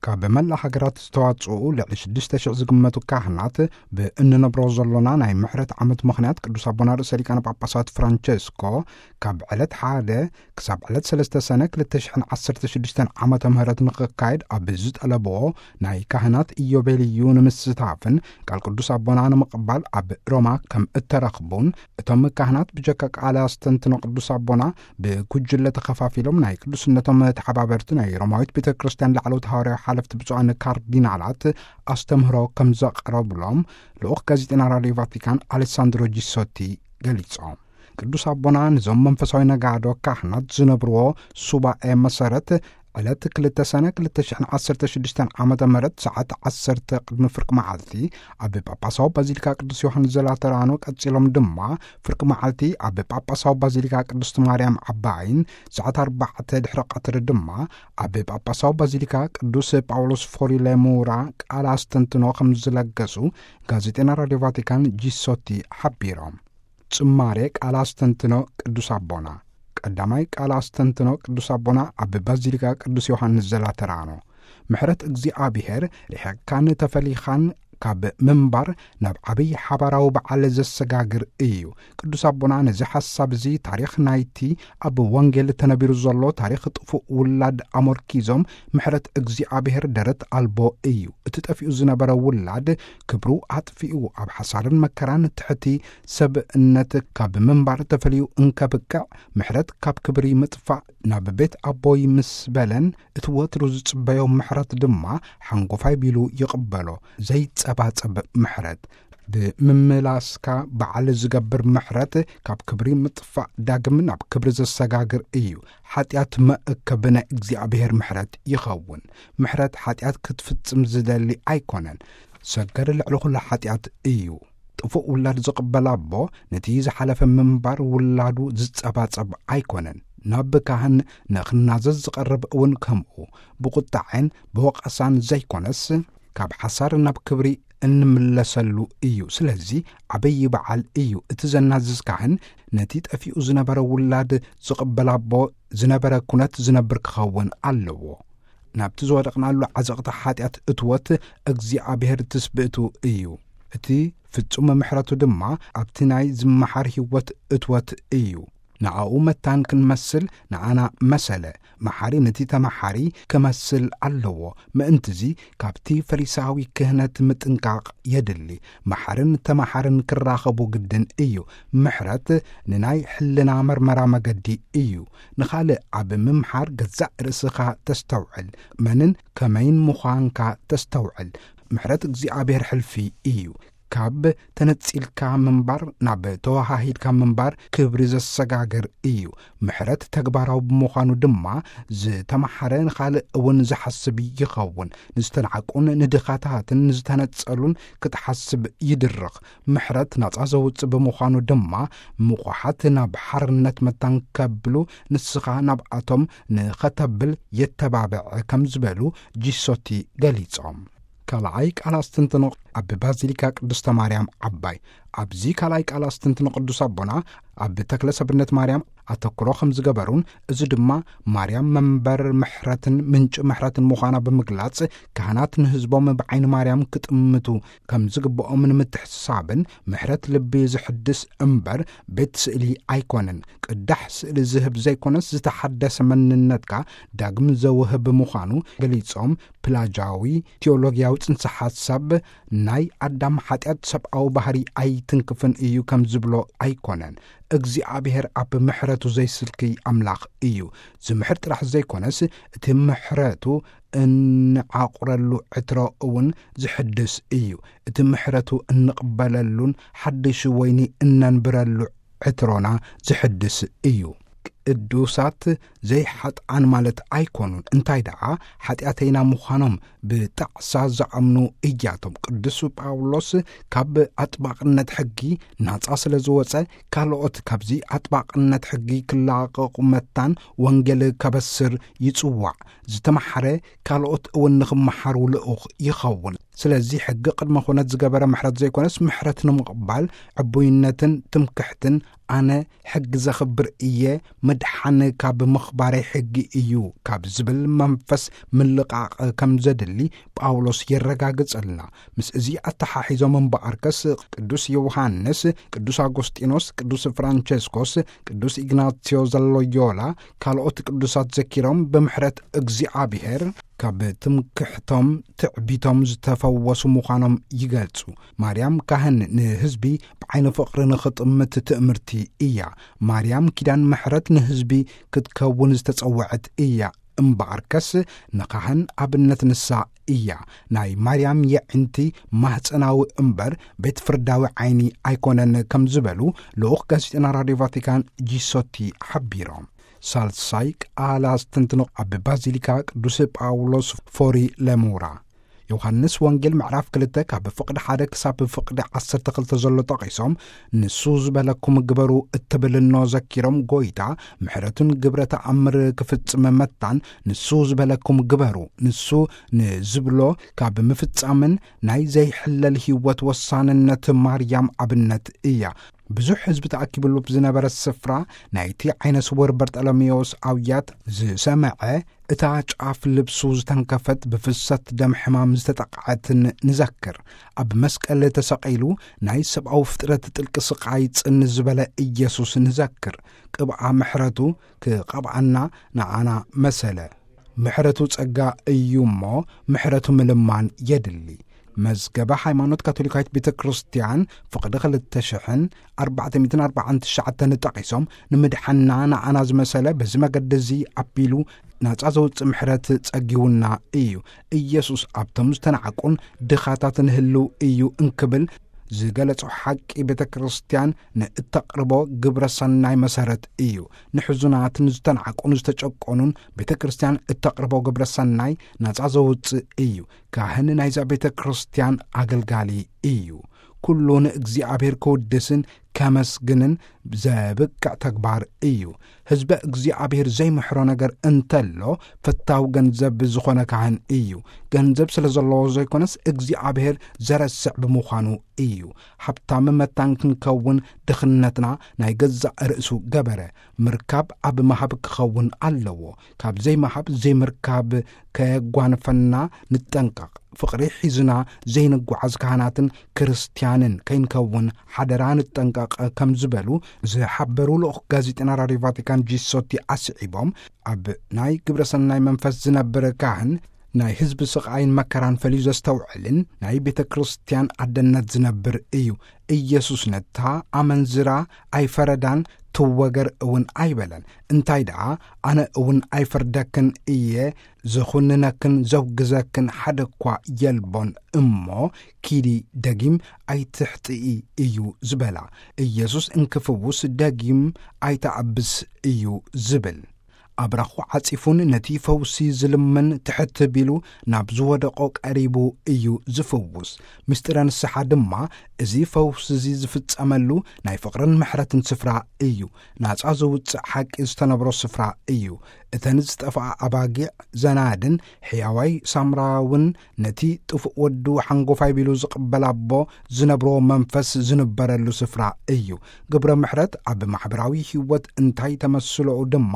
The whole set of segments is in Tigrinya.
ካብ መላእ ሃገራት ዝተዋጽኡ ልዕሊ ሽዱሽተ ሽሕ ዝግመቱ ካህናት፣ ብእንነብሮ ዘሎና ናይ ምሕረት ዓመት ምኽንያት ቅዱስ ኣቦና ርእሰ ሊቃነ ጳጳሳት ፍራንቸስኮ ካብ ዕለት ሓደ ክሳብ ዕለት ሰለስተ ሰነ ክልተ ሽሕን ዓሰርተ ሽዱሽተን ዓመተ ምህረት ንኽካየድ ኣብ ዝጠለብዎ ናይ ካህናት ኢዮቤልዩ ንምስታፍን ቃል ቅዱስ ኣቦና ንምቕባል ኣብ ሮማ ከም እተረኽቡን፣ እቶም ካህናት ብጀካ ቃለ ኣስተንትኖ ቅዱስ ኣቦና ብጉጅለ ተኸፋፊሎም ናይ ቅዱስነቶም ተሓባበርቲ ናይ ሮማዊት ቤተ ክርስቲያን ላዕለዎት ሃዋርያዊ ሓለፍቲ ብፁዓን ካርዲናላት ኣስተምህሮ ከም ዘቕረብሎም ልኡኽ ጋዜጠና ራድዮ ቫቲካን ኣሌሳንድሮ ጂሶቲ ገሊጾም። ቅዱስ ኣቦና ነዞም መንፈሳዊ ነጋዶ ካህናት ዝነብርዎ ሱባኤ መሰረት ዕለት ክልተ ሰነ ክልተ ሽሕን ዓሰርተ ሽዱሽተን ዓመተ ምህረት ሰዓት ዓሰርተ ቅድሚ ፍርቂ መዓልቲ ኣብ ጳጳሳዊ ባዚሊካ ቅዱስ ዮሃንስ ዘላተራኖ፣ ቀጺሎም ድማ ፍርቂ መዓልቲ ኣብ ጳጳሳዊ ባዚሊካ ቅድስት ማርያም ዓባይን ሰዓት ኣርባዕተ ድሕሪ ቀትሪ ድማ ኣብ ጳጳሳዊ ባዚሊካ ቅዱስ ጳውሎስ ፎሪሌሙራ ቃል ኣስተንትኖ ከም ዝለገሱ ጋዜጠና ራድዮ ቫቲካን ጂሶቲ ሓቢሮም። ጽማሬ ቃል ኣስተንትኖ ቅዱስ ኣቦና። ቀዳማይ ቃል ኣስተንትኖ ቅዱስ ኣቦና ኣብ ባዚሊካ ቅዱስ ዮሃንስ ዘላተራኖ። ምሕረት እግዚኣብሔር ርሒቕካን ተፈሊኻን ካብ ምንባር ናብ ዓብዪ ሓባራዊ በዓል ዘሰጋግር እዩ። ቅዱስ ኣቦና ነዚ ሓሳብ እዚ ታሪኽ ናይቲ ኣብ ወንጌል ተነቢሩ ዘሎ ታሪኽ ጥፉእ ውላድ ኣመርኪዞም፣ ምሕረት እግዚኣብሔር ደረት ኣልቦ እዩ። እቲ ጠፊኡ ዝነበረ ውላድ ክብሩ ኣጥፊኡ ኣብ ሓሳርን መከራን ትሕቲ ሰብእነት ካብ ምንባር ተፈልዩ እንከብቅዕ፣ ምሕረት ካብ ክብሪ ምጥፋእ ናብ ቤት ኣቦይ ምስ በለን፣ እቲ ወትሩ ዝጽበዮ ምሕረት ድማ ሓንጎፋይ ቢሉ ይቕበሎ። ዘይጸባጸብ ምሕረት። ብምምላስካ በዓል ዝገብር ምሕረት ካብ ክብሪ ምጥፋእ ዳግም ናብ ክብሪ ዘሰጋግር እዩ። ሓጢኣት መእከቢ ናይ እግዚኣብሔር ምሕረት ይኸውን። ምሕረት ሓጢኣት ክትፍጽም ዝደሊ ኣይኮነን። ሰገር ልዕሊ ኩሉ ሓጢኣት እዩ። ጥፉእ ውላድ ዝቕበል ኣቦ ነቲ ዝሓለፈ ምንባር ውላዱ ዝጸባጸብ ኣይኮነን። ናብ ካህን ንኽናዘዝ ዝቐርብ እውን ከምኡ። ብቁጣዐን ብወቐሳን ዘይኮነስ፣ ካብ ሓሳር ናብ ክብሪ እንምለሰሉ እዩ። ስለዚ ዓብዪ በዓል እዩ። እቲ ዘናዝዝ ካህን ነቲ ጠፊኡ ዝነበረ ውላድ ዝቕበል ኣቦ ዝነበረ ኩነት ዝነብር ክኸውን ኣለዎ። ናብቲ ዝወደቕናሉ ዓዘቕቲ ሓጢኣት እትወት እግዚኣብሔር ትስብእቱ እዩ። እቲ ፍጹም ምሕረቱ ድማ ኣብቲ ናይ ዝመሓር ህይወት እትወት እዩ። ንኣኡ መታን ክንመስል ንኣና መሰለ። መሓሪ ነቲ ተመሓሪ ክመስል ኣለዎ። ምእንትዚ ካብቲ ፈሪሳዊ ክህነት ምጥንቃቕ የድሊ። መሓርን ተመሓርን ክራኸቡ ግድን እዩ። ምሕረት ንናይ ሕልና መርመራ መገዲ እዩ። ንኻልእ ኣብ ምምሓር ገዛእ ርእስኻ ተስተውዕል። መንን ከመይን ምዃንካ ተስተውዕል። ምሕረት እግዚኣብሔር ሕልፊ እዩ። ካብ ተነጺልካ ምንባር ናብ ተወሃሂድካ ምንባር ክብሪ ዘሰጋግር እዩ። ምሕረት ተግባራዊ ብምዃኑ ድማ ዝተመሓረ ንኻልእ እውን ዝሓስብ ይኸውን። ንዝተናዕቁን ንድኻታትን ንዝተነጸሉን ክትሓስብ ይድርኽ። ምሕረት ናጻ ዘውጽእ ብምዃኑ ድማ ምቑሓት ናብ ሓርነት መታን ከብሉ ንስኻ ናብኣቶም ንኸተብል የተባብዕ ከም ዝበሉ ጂሶቲ ገሊጾም። ካልኣይ ቃል ኣስተንትኖ ኣብ ባዚሊካ ቅድስተ ማርያም ዓባይ። ኣብዚ ካልኣይ ቃል ኣስተንትኖ ቅዱስ ኣቦና ኣብ ተክለ ሰብነት ማርያም ኣተኩሮ ከም ዝገበሩን፣ እዚ ድማ ማርያም መንበር ምሕረትን ምንጪ ምሕረትን ምዃና ብምግላጽ፣ ካህናት ንህዝቦም ብዓይኒ ማርያም ክጥምቱ ከም ዝግብኦም ንምትሕስሳብን፣ ምሕረት ልቢ ዝሕድስ እምበር ቤት ስእሊ ኣይኮነን። ቅዳሕ ስእሊ ዝህብ ዘይኮነስ፣ ዝተሓደሰ መንነትካ ዳግም ዘውህብ ምዃኑ ገሊጾም፣ ፕላጃዊ ቲዮሎጊያዊ ጽንሰ ሓሳብ ናይ ኣዳም ሓጢኣት ሰብኣዊ ባህሪ ኣይትንክፍን እዩ ከም ዝብሎ ኣይኮነን። እግዚኣብሔር ኣብ ምሕረቱ ዘይስልክይ ኣምላኽ እዩ። ዝምሕር ጥራሕ ዘይኮነስ፣ እቲ ምሕረቱ እንዓቑረሉ ዕትሮ እውን ዝሕድስ እዩ። እቲ ምሕረቱ እንቕበለሉን ሓድሽ ወይኒ እነንብረሉ ዕትሮና ዝሕድስ እዩ። ቅዱሳት ዘይሓጥኣን ማለት ኣይኮኑን። እንታይ ደኣ፣ ሓጢኣተይና ምዃኖም ብጣዕሳ ዝኣምኑ እያቶም። ቅዱስ ጳውሎስ ካብ ኣጥባቕነት ሕጊ ናጻ ስለ ዝወጸ፣ ካልኦት ካብዚ ኣጥባቕነት ሕጊ ክላቐቑ መታን ወንጌል ከበስር ይጽዋዕ። ዝተመሓረ ካልኦት እውን ንኽመሓሩ ልኡኽ ይኸውን። ስለዚ ሕጊ ቅድመ ኩነት ዝገበረ ምሕረት ዘይኮነስ፣ ምሕረት ንምቕባል ዕቡይነትን ትምክሕትን ኣነ ሕጊ ዘኽብር እየ፣ ምድሓን ካብ ምኽባረይ ሕጊ እዩ ካብ ዝብል መንፈስ ምልቓቕ ከም ዘድሊ ጳውሎስ የረጋግጸልና። ምስ እዚ ኣተሓሒዞም እምበኣርከስ ቅዱስ ዮሃንስ፣ ቅዱስ ኣጎስጢኖስ፣ ቅዱስ ፍራንቸስኮስ፣ ቅዱስ ኢግናትዮ ዘሎዮላ፣ ካልኦት ቅዱሳት ዘኪሮም ብምሕረት እግዚኣብሔር ካብ ትምክሕቶም ትዕቢቶም ዝተፈወሱ ምዃኖም ይገልጹ። ማርያም ካህን ንህዝቢ ብዓይኒ ፍቕሪ ንኽጥምት ትእምርቲ እያ። ማርያም ኪዳን ምሕረት ንህዝቢ ክትከውን ዝተጸውዐት እያ። እምበኣርከስ ንኻህን ኣብነት ንሳ እያ። ናይ ማርያም የዕንቲ ማህፀናዊ እምበር ቤት ፍርዳዊ ዓይኒ ኣይኮነን ከም ዝበሉ ልኡኽ ጋዜጠና ራድዮ ቫቲካን ጂሶቲ ሓቢሮም። ሳልሳይ ቃል ኣስተንትኖ ኣብ ባዚሊካ ቅዱስ ጳውሎስ ፎሪ ለሙራ። ዮሃንስ ወንጌል ምዕራፍ ክልተ ካብ ፍቕዲ ሓደ ክሳብ ፍቕዲ ዓሰርተ ክልተ ዘሎ ጠቒሶም፣ ንሱ ዝበለኩም ግበሩ እትብልኖ ዘኪሮም፣ ጎይታ ምሕረቱን ግብረ ተኣምር ክፍጽም መታን፣ ንሱ ዝበለኩም ግበሩ፣ ንሱ ንዝብሎ ካብ ምፍጻምን ናይ ዘይሕለል ህይወት ወሳንነት ማርያም ኣብነት እያ። ብዙሕ ህዝቢ ተኣኪብሉ ብዝነበረ ስፍራ ናይቲ ዓይነ ስውር በርጠለሜዎስ ኣውያት ዝሰመዐ፣ እታ ጫፍ ልብሱ ዝተንከፈት ብፍሰት ደም ሕማም ዝተጠቕዐትን ንዘክር። ኣብ መስቀል ተሰቒሉ ናይ ሰብኣዊ ፍጥረት ጥልቂ ስቓይ ጽን ዝበለ ኢየሱስ ንዘክር። ቅብኣ ምሕረቱ ክቐብኣና ንዓና መሰለ። ምሕረቱ ጸጋ እዩ እሞ ምሕረቱ ምልማን የድሊ። መዝገበ ሃይማኖት ካቶሊካዊት ቤተ ክርስቲያን ፍቕዲ ክልተ ሽሕን ኣርባዕተ ሚእትን ኣርባዓን ትሽዓተን ጠቒሶም፣ ንምድሓና ንዓና ዝመሰለ በዚ መገዲ እዚ ኣቢሉ ናጻ ዘውጽእ ምሕረት ጸጊቡና እዩ። ኢየሱስ ኣብቶም ዝተናዕቁን ድኻታትን ህልው እዩ እንክብል ዝገለጾ ሓቂ ቤተ ክርስቲያን ንእተቕርቦ ግብረ ሰናይ መሰረት እዩ። ንሕዙናትን ዝተናዕቁን ዝተጨቆኑን ቤተ ክርስቲያን እተቕርቦ ግብረ ሰናይ ናጻ ዘውጽእ እዩ። ካህን ናይዛ ቤተ ክርስቲያን ኣገልጋሊ እዩ። ኩሉ ንእግዚኣብሔር ክውድስን ከመስግንን ዘብቅዕ ተግባር እዩ። ህዝበ እግዚኣብሔር ዘይምሕሮ ነገር እንተሎ፣ ፈታው ገንዘብ ዝኾነ ካህን እዩ። ገንዘብ ስለ ዘለዎ ዘይኮነስ፣ እግዚኣብሔር ዘረስዕ ብምዃኑ እዩ። ሃብታም መታን ክንከውን ድኽነትና ናይ ገዛእ ርእሱ ገበረ። ምርካብ ኣብ ምሃብ ክኸውን ኣለዎ። ካብ ዘይምሃብ ዘይምርካብ ከየጓንፈና ንጠንቀቕ። ፍቕሪ ሒዝና ዘይንጓዓዝ ካህናትን ክርስትያንን ከይንከውን ሓደራ ንጠንቀቕ ከም ዝበሉ ዝሓበሩ ልኡኽ ጋዜጠና ራድዮ ቫቲካን ጂሶቲ ኣስዒቦም፣ ኣብ ናይ ግብረ ሰናይ መንፈስ ዝነብር ካህን ናይ ህዝቢ ስቓይን መከራን ፈልዩ ዘስተውዕልን ናይ ቤተ ክርስቲያን ኣደነት ዝነብር እዩ። ኢየሱስ ነታ ኣመንዝራ ኣይፈረዳን፣ ትወገር እውን ኣይበለን። እንታይ ደኣ፣ ኣነ እውን ኣይፈርደክን እየ፣ ዝኹንነክን ዘውግዘክን ሓደ እኳ የልቦን እሞ፣ ኪዲ ደጊም ኣይትሕጥኢ እዩ ዝበላ። ኢየሱስ እንክፍውስ ደጊም ኣይትኣብስ እዩ ዝብል። ኣብራኹ ዓጺፉን ነቲ ፈውሲ ዝልምን ትሕት ቢሉ ናብ ዝወደቆ ቀሪቡ እዩ ዝፍውስ። ምስጢረ ንስሓ ድማ እዚ ፈውሲ እዚ ዝፍጸመሉ ናይ ፍቕርን ምሕረትን ስፍራ እዩ። ናጻ ዝውጽእ ሓቂ ዝተነብሮ ስፍራ እዩ። እተን ዝጠፍኣ ኣባጊዕ ዘናድን ሕያዋይ ሳምራውን ነቲ ጥፉእ ወዱ ሓንጎፋይ ቢሉ ዝቕበል ኣቦ ዝነብሮ መንፈስ ዝንበረሉ ስፍራ እዩ። ግብረ ምሕረት ኣብ ማሕበራዊ ህይወት እንታይ ተመስሎኡ ድማ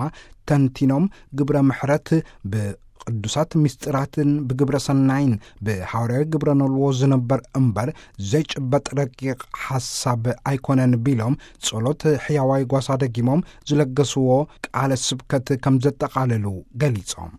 ተንቲኖም፣ ግብረ ምሕረት ብቅዱሳት ምስጢራትን ብግብረ ሰናይን ብሃዋርያዊ ግብረ ነልዎ ዝንበር እምበር ዘይጭበጥ ረቂቕ ሓሳብ ኣይኮነን ቢሎም፣ ጸሎት ሕያዋይ ጓሳ ደጊሞም ዝለገስዎ ቃለ ስብከት ከም ዘጠቓለሉ ገሊጾም።